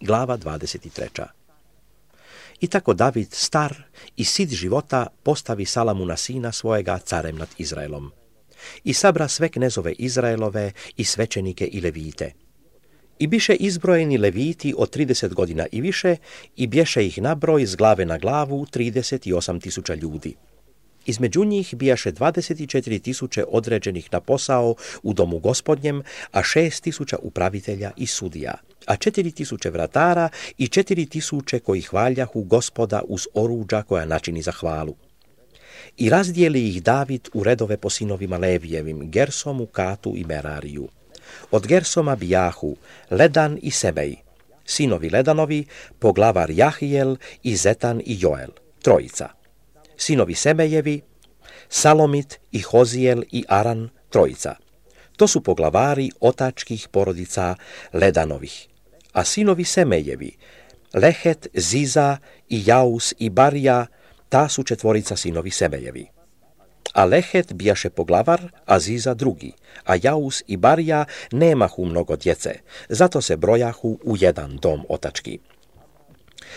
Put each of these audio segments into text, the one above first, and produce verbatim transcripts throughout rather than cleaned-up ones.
glava dvadeset tri. I tako David star i sit života postavi Salamuna sina svojega carem nad Izraelom. I sabra sve knezove Izraelove i svećenike i levite. I biše izbrojeni leviti od trideset godina i više i bješe ih nabroj s glave na glavu trideset osam tisuća ljudi. Između njih bijaše dvadeset četiri tisuće određenih na posao u domu gospodnjem, a šest tisuća upravitelja i sudija, a četiri tisuće vratara i četiri tisuće koji hvaljahu gospoda uz oruđa koja načini za hvalu. I razdijeli ih David u redove po sinovima Levijevim, Gersomu, Katu i Merariju. Od Gersoma bijahu Ledan i Semej, sinovi Ledanovi, poglavar Jahijel i Zetan i Joel, trojica. Sinovi Semejevi, Salomit i Hozijel i Aran, trojica. To su poglavari otačkih porodica Ledanovih. A sinovi Semejevi, Lehet, Ziza i Jaus i Barija, ta su četvorica sinovi Semejevi. A Lehet bijaše poglavar, a Ziza drugi, a Jaus i Barija nemahu mnogo djece, zato se brojahu u jedan dom otački.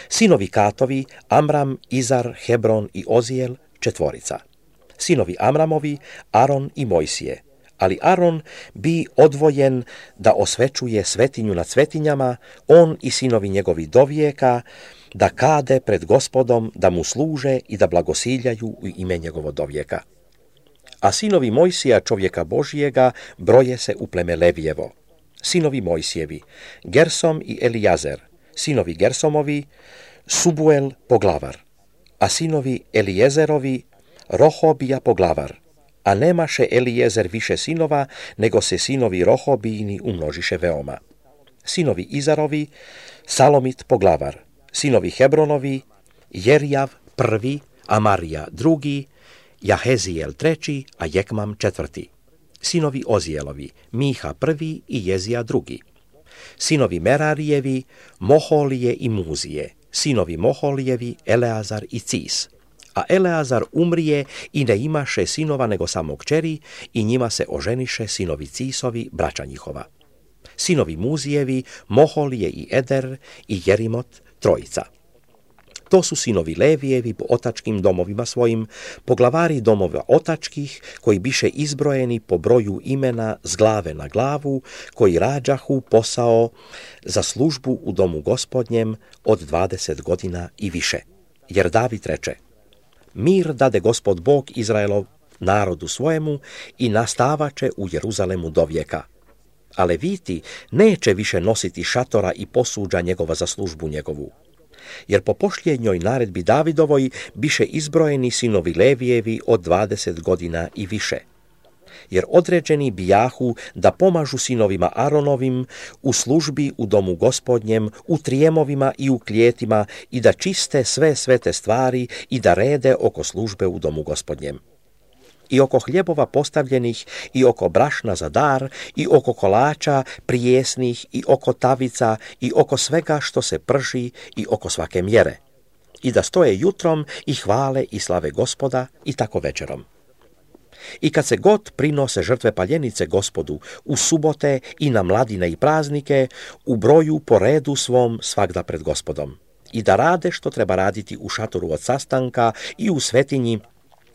Sinovi Katovi, Amram, Izar, Hebron i Ozijel, četvorica. Sinovi Amramovi, Aron i Mojsije, ali Aron bi odvojen da osvećuje svetinju nad svetinjama, on i sinovi njegovi dovijeka, da kade pred gospodom, da mu služe i da blagosiljaju u ime njegovo dovijeka. A sinovi Mojsija, čovjeka Božijega, broje se u pleme Levijevo. Sinovi Mojsijevi, Gersom i Elijazer, sinovi Gersomovi, Subuel poglavar, a sinovi Elijezerovi, Rohobija poglavar, a nemaše Elijezer više sinova, nego se sinovi Rohobijini umnožiše veoma. Sinovi Izarovi, Salomit poglavar, sinovi Hebronovi, Jerjav prvi, Amarija drugi, Jahezijel treći, a Jekmam četvrti. Sinovi Ozijelovi, Miha prvi i Jezija drugi. Sinovi Merarijevi, Moholije i Muzije, sinovi Moholijevi, Eleazar i Cis. A Eleazar umrije i ne imaše sinova nego samo kćeri i njima se oženiše sinovi Cisovi, braća njihova. Sinovi Muzijevi, Moholije i Eder i Jerimot, trojica. To su sinovi Levijevi po otačkim domovima svojim, poglavari domova otačkih, koji biše izbrojeni po broju imena s glave na glavu, koji rađahu posao za službu u domu gospodnjem od dvadeset godina i više. Jer David reče, mir dade gospod Bog Izraelov narodu svojemu i nastavače u Jeruzalemu do vijeka. A Leviti neće više nositi šatora i posuđa njegova za službu njegovu. Jer po pošljenjoj naredbi Davidovoj biše izbrojeni sinovi Levijevi od dvadeset godina i više. Jer određeni bijahu da pomažu sinovima Aronovim u službi u domu gospodnjem, u trijemovima i u klijetima i da čiste sve svete stvari i da rede oko službe u domu gospodnjem. I oko hljebova postavljenih, i oko brašna za dar, i oko kolača prijesnih, i oko tavica, i oko svega što se prži, i oko svake mjere. I da stoje jutrom i hvale i slave gospoda, i tako večerom. I kad se god prinose žrtve paljenice gospodu, u subote i na mladine i praznike, u broju po redu svom svagda pred gospodom. I da rade što treba raditi u šatoru od sastanka i u svetinji,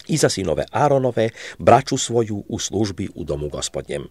i za sinove Aronove, braću svoju u službi u domu gospodnjem.